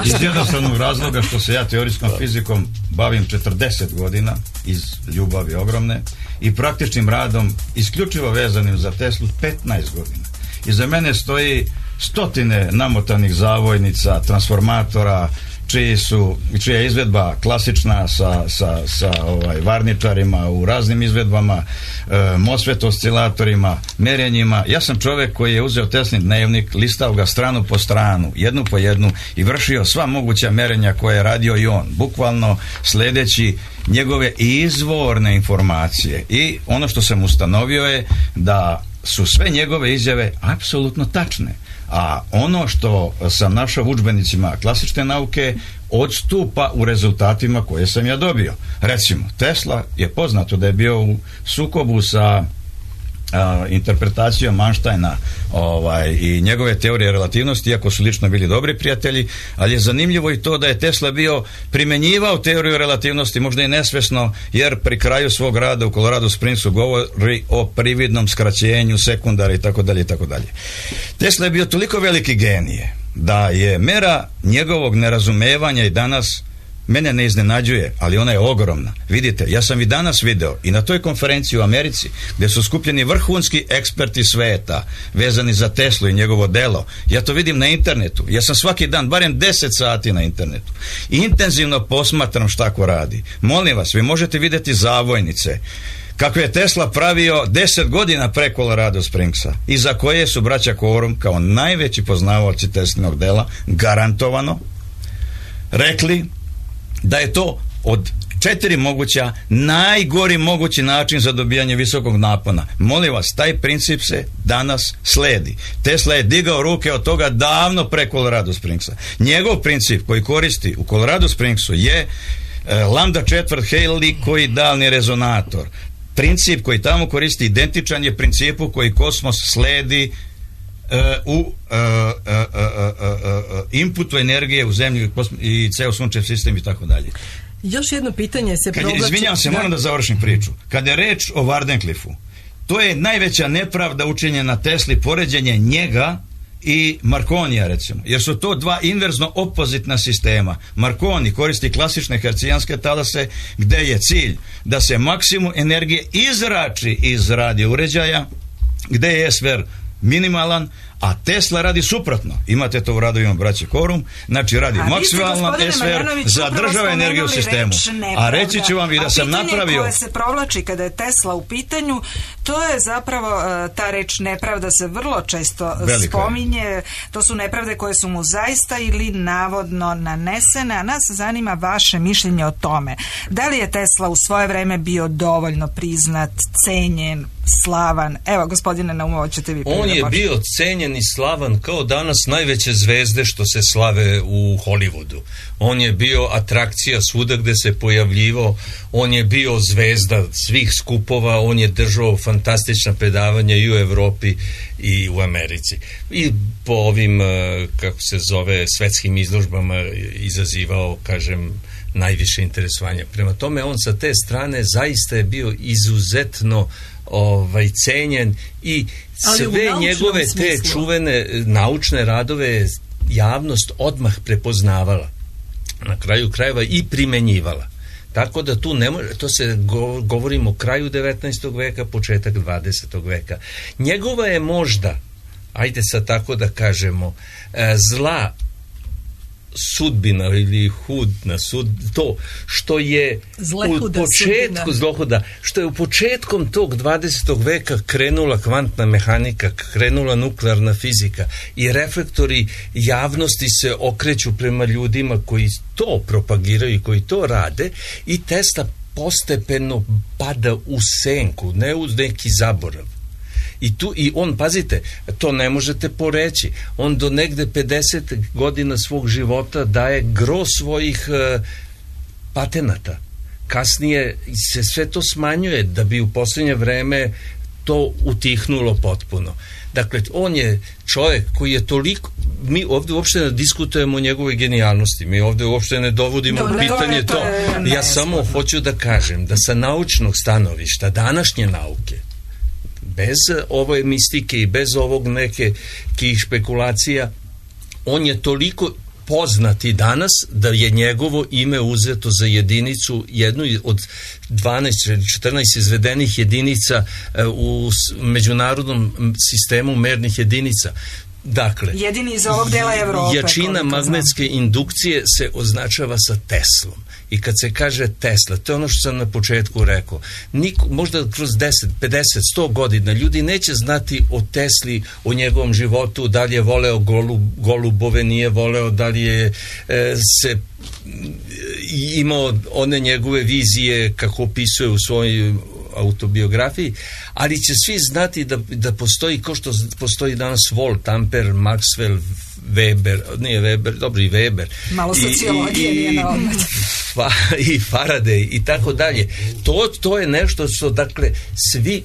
Iz jednostavnog razloga što se ja teorijskom fizikom bavim četrdeset godina iz ljubavi ogromne i praktičnim radom isključivo vezanim za Teslu petnaest godina. Iza mene stoji stotine namotanih zavojnica, transformatora, čiji su, čija je izvedba klasična sa, sa, sa ovaj, varničarima u raznim izvedbama, e, MOSFET oscilatorima, merenjima. Ja sam čovjek koji je uzeo Teslin dnevnik, listao ga stranu po stranu, jednu po jednu i vršio sva moguća merenja koje je radio i on, bukvalno sledeći njegove izvorne informacije. I ono što sam ustanovio je da su sve njegove izjave apsolutno tačne. A ono što sam našao u udžbenicima klasične nauke odstupa u rezultatima koje sam ja dobio. Recimo, Tesla je poznato da je bio u sukobu sa a, interpretacijom Einsteina ovaj, i njegove teorije relativnosti, iako su lično bili dobri prijatelji, ali je zanimljivo i to da je Tesla bio primenjivao teoriju relativnosti, možda i nesvesno, jer pri kraju svog rada u Colorado Springsu govori o prividnom skraćenju sekundara i tako dalje i tako dalje. Tesla je bio toliko veliki genije da je mera njegovog nerazumevanja i danas mene ne iznenađuje, ali ona je ogromna. Vidite, ja sam i danas video i na toj konferenciji u Americi gdje su skupljeni vrhunski eksperti sveta vezani za Teslu i njegovo delo. Ja to vidim na internetu. Ja sam svaki dan barem deset sati na internetu. I intenzivno posmatram šta ko radi. Molim vas, vi možete vidjeti zavojnice kako je Tesla pravio deset godina pre Colorado Springsa i za koje su braća Quorum kao najveći poznavaoci Teslinog dela garantovano rekli da je to od četiri moguća najgori mogući način za dobijanje visokog napona. Molim vas, taj princip se danas sledi. Tesla je digao ruke od toga davno pre Colorado Springsa. Njegov princip koji koristi u Colorado Springsu je e, lambda četvrt helikoidalni rezonator. Princip koji tamo koristi identičan je principu koji kosmos sledi Uh, u uh, uh, uh, uh, uh, inputu energije u zemlji i ceo sunčev sistem i tako dalje. Još jedno pitanje se Kad provlači... je, izvinjam se, moram da završim priču. Kada je reč o Wardenclyffu, to je najveća nepravda učinjena Tesli, poređenje njega i Marconija, recimo, jer su to dva inverzno opozitna sistema. Marconi koristi klasične hercijanske talase gde je cilj da se maksimum energije izrači iz radio uređaja, gde je sfer minimalan, a Tesla radi suprotno. Imate to u radovima braće Quorum, znači radi maksimalan S V R, zadržava energiju u sistemu. A reći ću vam i da sam napravio... A pitanje koje se provlači kada je Tesla u pitanju, to je zapravo ta reč nepravda se vrlo često Velika spominje. Je. To su nepravde koje su mu zaista ili navodno nanesene, a nas zanima vaše mišljenje o tome. Da li je Tesla u svoje vreme bio dovoljno priznat, cenjen, slavan? Evo, gospodine Naumovo, ćete vi On je bio cenjen i slavan kao danas najveće zvezde što se slave u Hollywoodu. On je bio atrakcija svuda gde se pojavljivao, on je bio zvezda svih skupova, on je držao fantastična predavanja i u Evropi i u Americi. I po ovim, kako se zove, svetskim izložbama izazivao, kažem, najviše interesovanja. Prema tome, on sa te strane zaista je bio izuzetno ovaj cenjen i sve njegove te smislu. čuvene naučne radove javnost odmah prepoznavala, na kraju krajeva i primenjivala. Tako da tu ne može, to se go, govorimo o kraju devetnaestog veka, početak dvadesetog veka. Njegova je možda, ajde sad tako da kažemo, zla sudbina ili hudna sud, to što je Zlehuda u početku zlohuda, što je u početkom tog dvadesetog veka krenula kvantna mehanika, krenula nuklearna fizika i reflektori javnosti se okreću prema ljudima koji to propagiraju i koji to rade, i Tesla postepeno pada u senku, ne u neki zaborav. I tu, i on, pazite, to ne možete poreći, on do negde pedeset godina svog života daje gro svojih e, patenata. Kasnije se sve to smanjuje da bi u posljednje vreme to utihnulo potpuno. Dakle, on je čovjek koji je toliko, mi ovdje uopšte ne diskutujemo o njegovoj genijalnosti, mi ovdje uopšte ne dovodimo u pitanje to. Ja samo hoću da kažem da sa naučnog stanovišta današnje nauke, bez ove mistike i bez ovog neke kih špekulacija, on je toliko poznati danas da je njegovo ime uzeto za jedinicu, jednu od dvanaest četrnaest izvedenih jedinica u međunarodnom sistemu mernih jedinica. Dakle, jedini iz ovog dela Evrope. Jačina magnetske indukcije se označava sa Teslom. I kad se kaže Tesla, to je ono što sam na početku rekao, niko, možda kroz deset, pedeset, sto godina ljudi neće znati o Tesli, o njegovom životu, da li je voleo golub, golubove, nije voleo, da li je e, se imao one njegove vizije kako opisuje u svojoj autobiografiji, ali će svi znati da, da postoji, kao što postoji danas Volt, Ampere, Maxwell, Weber, nije Weber, dobro i Weber. Malo sociologije nije na odmet. Pa, i Faraday i tako dalje. To, to je nešto što, dakle, svi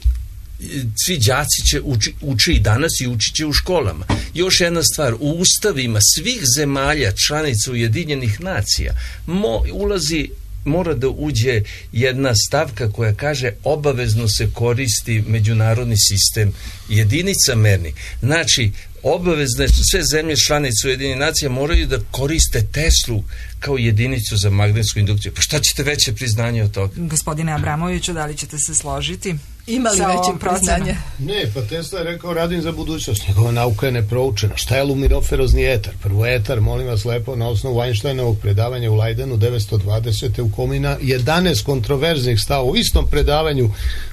svi đaci će uči, uči i danas i učit će u školama. Još jedna stvar, u ustavima svih zemalja članica Ujedinjenih nacija mo, ulazi mora da uđe jedna stavka koja kaže obavezno se koristi međunarodni sistem jedinica mernih. Znači, obavezne sve zemlje članice Ujedinjenih nacija moraju da koriste Teslu kao jedinicu za magnetsku indukciju. Pa šta ćete veće priznanje od toga? Gospodine Abramoviću, da li ćete se složiti? Ima li veće priznanje? Ne, pa Tesla je rekao radim za budućnost. Njegova nauka je neproučena. Šta je lumiroferozni etar? Prvo etar, molim vas lepo, na osnovu Einsteinovog predavanja u Leidenu devetsto dvadesete u Komina jedanaest kontroverznih stava u istom predavanju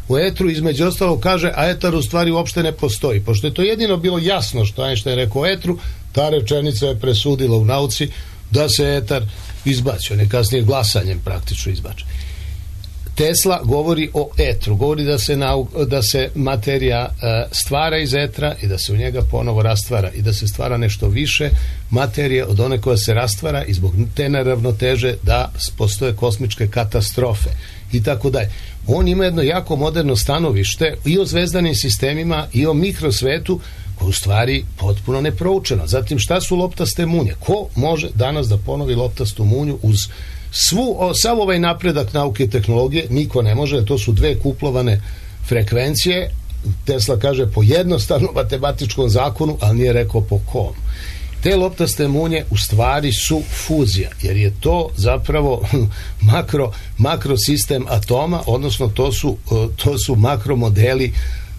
u etru, između ostalo kaže, a etar u stvari uopšte ne postoji. Pošto je to jedino bilo jasno što Einstein rekao o etru, ta rečenica je presudila u nauci da se etar izbacio, ne kasnije glasanjem praktično izbače. Tesla govori o etru, govori da se, nau, da se materija uh, stvara iz etra i da se u njega ponovo rastvara i da se stvara nešto više materije od one koja se rastvara i zbog te neravnoteže da postoje kosmičke katastrofe i tako dalje. On ima jedno jako moderno stanovište i o zvezdanim sistemima i o mikrosvetu koje u stvari potpuno neproučeno. Zatim, šta su loptaste munje? Ko može danas da ponovi loptastu munju uz svu, o, sav ovaj napredak nauke i tehnologije? Niko ne može, to su dve kuplovane frekvencije. Tesla kaže po jednostavnom matematičkom zakonu, ali nije rekao po kom. Te loptaste munje u stvari su fuzija, jer je to zapravo makro, makrosistem atoma, odnosno to su, to su makromodeli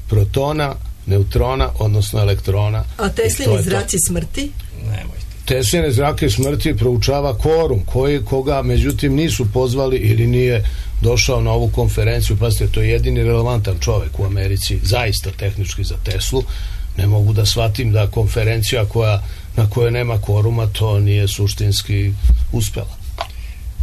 protona, neutrona, odnosno elektrona. A Teslini zraci smrti? Nemojte. Tesline zrake smrti proučava Korum, koji, koga međutim nisu pozvali ili nije došao na ovu konferenciju. Pazite, to je jedini relevantan čovjek u Americi, zaista tehnički za Teslu. Ne mogu da shvatim da konferencija koja, na kojoj nema Koruma, to nije suštinski uspela.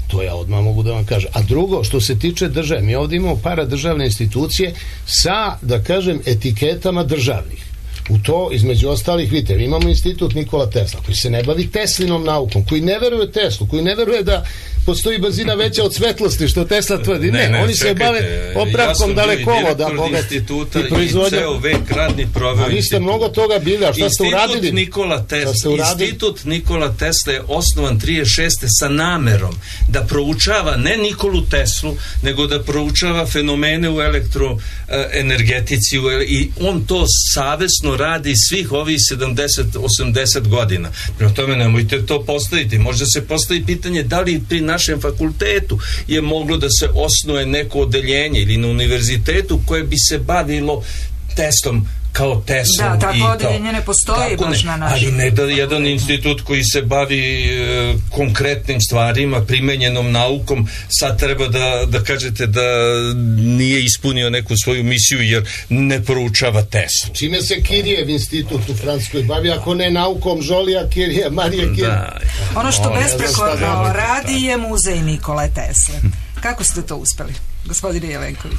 To ja odmah mogu da vam kažem. A drugo, što se tiče države, mi ovdje imamo paradržavne institucije sa, da kažem, etiketama državnih. U to, između ostalih, vidite, mi imamo institut Nikola Tesla, koji se ne bavi Teslinom naukom, koji ne veruje Teslu, koji ne veruje da postoji brzina veća od svetlosti, što Tesla tvrdi. Ne, ne, ne oni čekajte, se bave popravkom ja dalekovoda, bogat i proizvodnja. I ceo vek radni proveo. A vi ste mnogo toga bili, a šta ste uradili? Nikola Tesla, institut Nikola Tesla je osnovan trideset šeste sa namerom da proučava ne Nikolu Teslu, nego da proučava fenomene u elektroenergetici i on to savesno radi svih ovih sedamdeset osamdeset godina. Prema tome nemojte to postaviti. Možda se postavi pitanje da li pri našem fakultetu je moglo da se osnuje neko odeljenje ili na univerzitetu koje bi se bavilo testom kao Tesla. Da, tako i odeljenje ne postoji baš ne, na našem. ali ne da jedan institut koji se bavi e, konkretnim stvarima, primenjenom naukom, sad treba da, da kažete da nije ispunio neku svoju misiju jer ne proučava Teslu. Čime se Kirijev institut u Francuskoj bavi, ako ne naukom Žolija Kirija, Marije Kirija? Da. Ono što besprekorno radi je muzej Nikole Tesle. Kako ste to uspeli, gospodine Jelenković?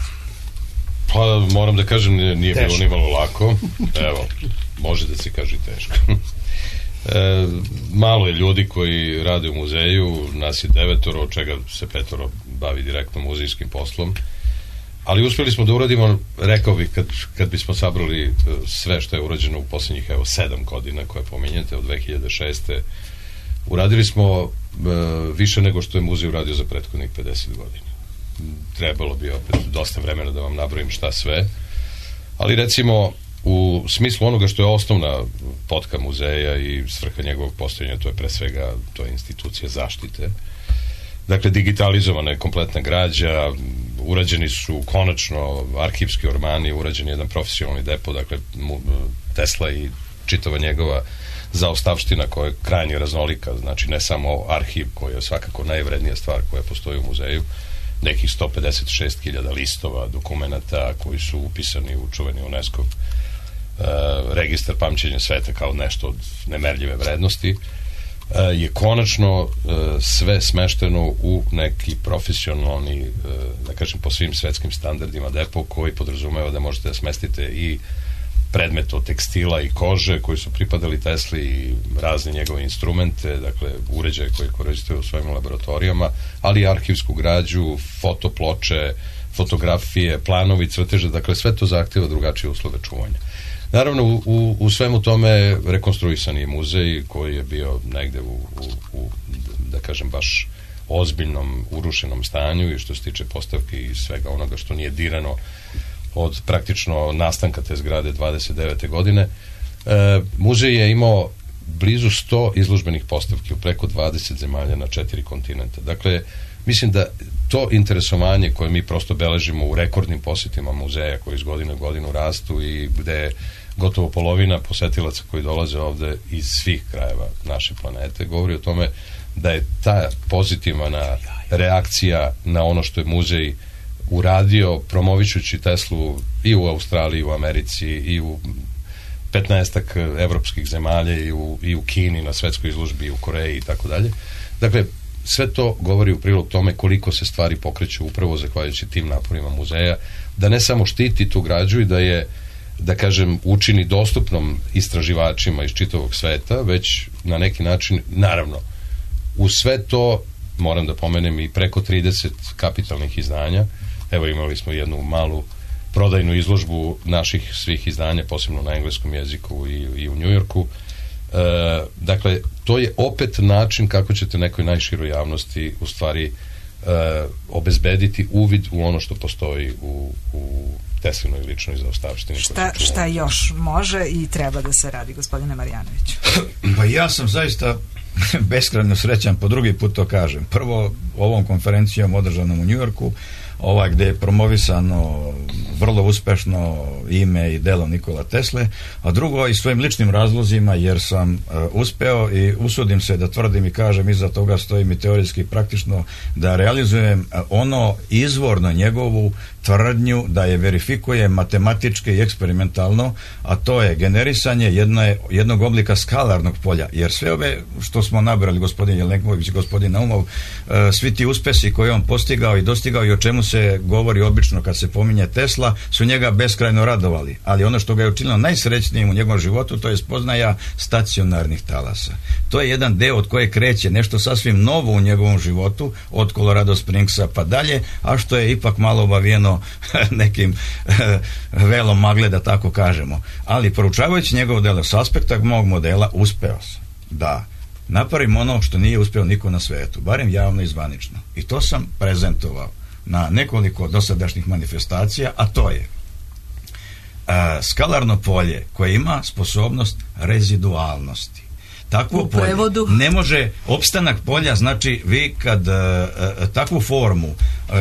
Pa moram da kažem, nije, nije bilo Teško. ni malo lako. Evo, može da se kaže i teško. E, malo je ljudi koji rade u muzeju, nas je devetoro, od čega se petoro bavi direktno muzejskim poslom. Ali uspjeli smo da uradimo, rekao bih, kad, kad bismo sabrali sve što je urađeno u posljednjih, evo, sedam godina koje pominjete, od dve hiljade šeste. Uradili smo e, više nego što je muzej uradio za prethodnih pedeset godina. Trebalo bi opet dosta vremena da vam nabrojim šta sve, ali recimo u smislu onoga što je osnovna potka muzeja i svrha njegovog postojanja, to je pre svega to je institucija zaštite. Dakle, digitalizovana je kompletna građa, urađeni su konačno arhivski ormani, urađen je jedan profesionalni depo, dakle Tesla i čitava njegova zaostavština koja je krajnje raznolika, znači ne samo arhiv koji je svakako najvrednija stvar koja postoji u muzeju, nekih sto pedeset šest hiljada listova, dokumenata koji su upisani u čuveni UNESCO uh, registar pamćenja sveta kao nešto od nemerljive vrednosti, uh, je konačno uh, sve smešteno u neki profesionalni, uh, da kažem po svim svetskim standardima depo koji podrazumeva da možete da smestite i predmet od tekstila i kože koji su pripadali Tesli i razne njegove instrumente, dakle uređaje koje koristite u svojim laboratorijama, ali i arhivsku građu, fotoploče, fotografije, planovi, crteže, dakle sve to zahtjeva drugačije uslove čuvanja. Naravno, u, u, u svemu tome rekonstruisan je muzej koji je bio negde u, u, u da kažem baš ozbiljnom urušenom stanju i što se tiče postavki i svega onoga što nije dirano od praktično nastanka te zgrade dvadeset devete godine. E, muzej je imao blizu sto izložbenih postavki u preko dvadeset zemalja na četiri kontinenta. Dakle, mislim da to interesovanje koje mi prosto beležimo u rekordnim posjetima muzeja koji iz godine u godinu rastu i gde gotovo polovina posetilaca koji dolaze ovde iz svih krajeva naše planete govori o tome da je ta pozitivna reakcija na ono što je muzej uradio promovišući Teslu i u Australiji, i u Americi, i u petnaestak evropskih zemalja, i u, i u Kini na svetskoj izložbi, i u Koreji i tako dalje. Dakle, sve to govori u prilog tome koliko se stvari pokreću upravo zahvaljujući tim naporima muzeja, da ne samo štiti tu građu i da je, da kažem, učini dostupnom istraživačima iz čitavog sveta, već na neki način, naravno, u sve to moram da pomenem i preko trideset kapitalnih izdanja. Evo, imali smo jednu malu prodajnu izložbu naših svih izdanja, posebno na engleskom jeziku i, i u Njujorku. E, dakle, to je opet način kako ćete nekoj najširoj javnosti u stvari e, obezbediti uvid u ono što postoji u, u Teslinoj ličnoj zaostavštini. Šta, šta još može i treba da se radi, gospodine Marjanoviću? Pa ja sam zaista beskrajno srećan, po drugi put to kažem. Prvo, ovom konferencijom održanom u Njujorku, ova gde je promovisano vrlo uspešno ime i delo Nikola Tesle, a drugo i svojim ličnim razlozima, jer sam uh, uspeo i usudim se da tvrdim i kažem, iza toga stojim i teorijski praktično, da realizujem uh, ono izvorno njegovu tvrdnju da je verifikuje matematički i eksperimentalno, a to je generisanje jedne, jednog oblika skalarnog polja, jer sve ove što smo nabrali, gospodin Jelenković i gospodin Naumov, uh, svi ti uspesi koje on postigao i dostigao i o čemu se govori obično kad se pominje Tesla, su njega beskrajno radovali, ali ono što ga je učinilo najsrećnijim u njegovom životu, to je spoznaja stacionarnih talasa. To je jedan deo od koje kreće nešto sasvim novo u njegovom životu, od Colorado Springsa pa dalje, a što je ipak malo obavijeno nekim velom magle, da tako kažemo. Ali proučavajući njegovo delo s aspekta mog modela, uspeo sam da napravim ono što nije uspeo niko na svetu, barem javno i zvanično. I to sam prezentovao na nekoliko dosadašnjih manifestacija, a to je a, skalarno polje koje ima sposobnost rezidualnosti. Takvo polje ne može, opstanak polja znači vi kad a, a, takvu formu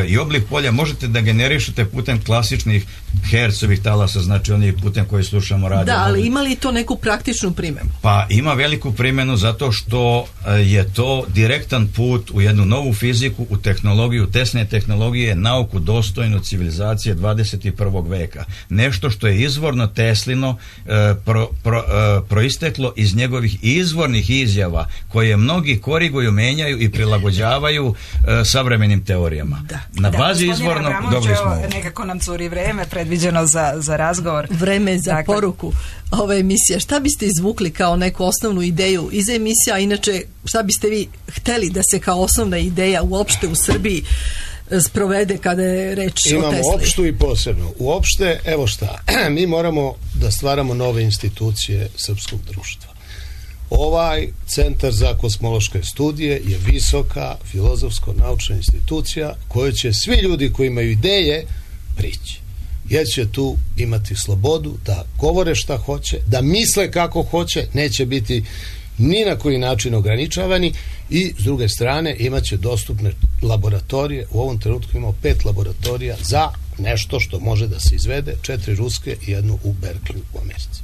i oblik polja možete da generišete putem klasičnih Hercovih talasa, znači oni putem koji slušamo radio. Da, ali ima li to neku praktičnu primjenu? Pa ima veliku primjenu zato što je to direktan put u jednu novu fiziku, u tehnologiju, tesne tehnologije, nauku dostojnu civilizacije dvadeset i prvog veka. Nešto što je izvorno Teslino pro, pro, proisteklo iz njegovih izvornih izjava koje mnogi koriguju, menjaju i prilagođavaju savremenim teorijama. Da. Na da, bazi izvornog dobili smo ovo. Nekako nam curi vreme predviđeno za, za razgovor. Vreme za dakle, poruku ove emisije. Šta biste izvukli kao neku osnovnu ideju iz emisija, a inače šta biste vi hteli da se kao osnovna ideja uopšte u Srbiji sprovede kada je reč Imamo o Tesli? Imamo opštu i posebno. Uopšte, evo šta, mi moramo da stvaramo nove institucije srpskog društva. Ovaj Centar za kosmološke studije je visoka filozofsko-naučna institucija kojoj će svi ljudi koji imaju ideje prići. Jer će tu imati slobodu da govore šta hoće, da misle kako hoće, neće biti ni na koji način ograničavani i s druge strane imat će dostupne laboratorije. U ovom trenutku imamo pet laboratorija za nešto što može da se izvede, četiri ruske i jednu u Berkeley u Americi.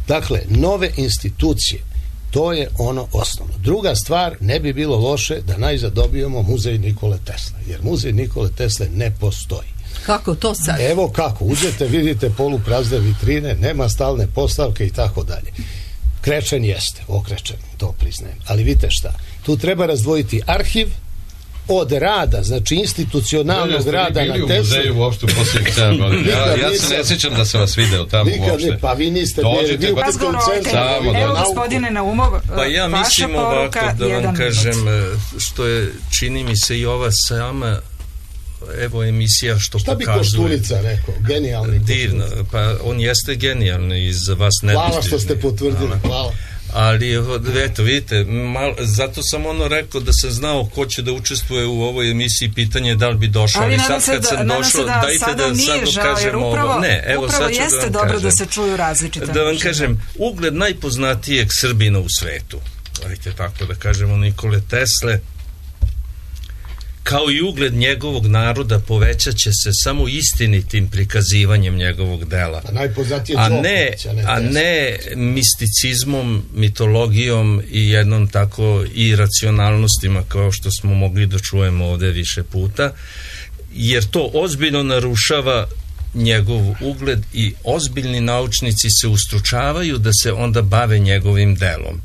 Dakle, nove institucije, to je ono osnovno. Druga stvar, ne bi bilo loše da najzad dobijemo muzej Nikole Tesle, jer muzej Nikole Tesle ne postoji. Kako to sad? Evo kako, uzete, vidite poluprazne vitrine, nema stalne postavke i tako dalje. Krečen jeste, okrečen, to priznajem. Ali vidite šta, tu treba razdvojiti arhiv od rada, znači institucionalnog rada na Tesli. Bili u muzeju uopšte u posljednjih sedam godina. Ja, ja se ne sjećam da sam vas video tamo uopšte. Ne, pa vi niste bili, vi u razgovoru o Evo gospodine Naumov, pa ja mislim ovako da vam kažem, što je, čini mi se i ova sama evo emisija što šta pokazuje. Šta bi Koštulica rekao? Genijalni Dirno, pa on jeste genijalni i za vas nedostižni. Hvala što ste potvrdili, hvala. Ali, eto, vidite, mal, zato sam ono rekao da sam znao ko će da učestvuje u ovoj emisiji, pitanje da li bi došao, ali, ali sad kad sam da, došao, da dajte sada da sad dokažemo ovo. Ne, evo upravo sad ću jeste da vam dobro kažem, da se čuju različite. Da vam kažem, ugled najpoznatijeg Srbina u svetu, dajte tako da kažemo, Nikole Tesle, kao i ugled njegovog naroda povećat će se samo istinitim prikazivanjem njegovog dela, a ne, a ne misticizmom, mitologijom i jednom tako i racionalnostima kao što smo mogli da čujemo ovde više puta, jer to ozbiljno narušava njegov ugled i ozbiljni naučnici se ustručavaju da se onda bave njegovim delom.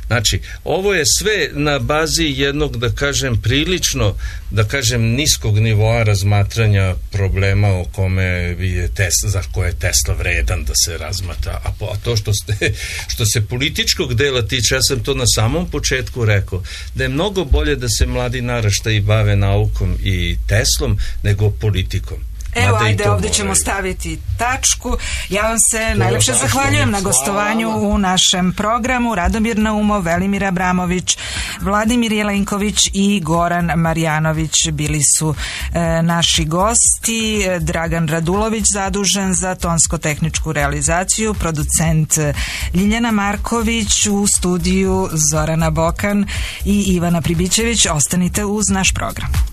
Znači, ovo je sve na bazi jednog, da kažem, prilično, da kažem, niskog nivoa razmatranja problema o kome je Tesla, za koje je Tesla vredan da se razmatra. A, po, a to što, ste, što se političkog dela tiče, ja sam to na samom početku rekao, da je mnogo bolje da se mladi naraštaji bave naukom i Teslom nego politikom. Evo, ajde, ovdje ćemo staviti tačku. Ja vam se najlepše zahvaljujem na gostovanju u našem programu. Radomir Naumov, Velimir Abramović, Vladimir Jelenković i Goran Marjanović bili su e, naši gosti. Dragan Radulović zadužen za tonsko-tehničku realizaciju, producent Ljiljana Marković, u studiju Zorana Bokan i Ivana Pribićević. Ostanite uz naš program.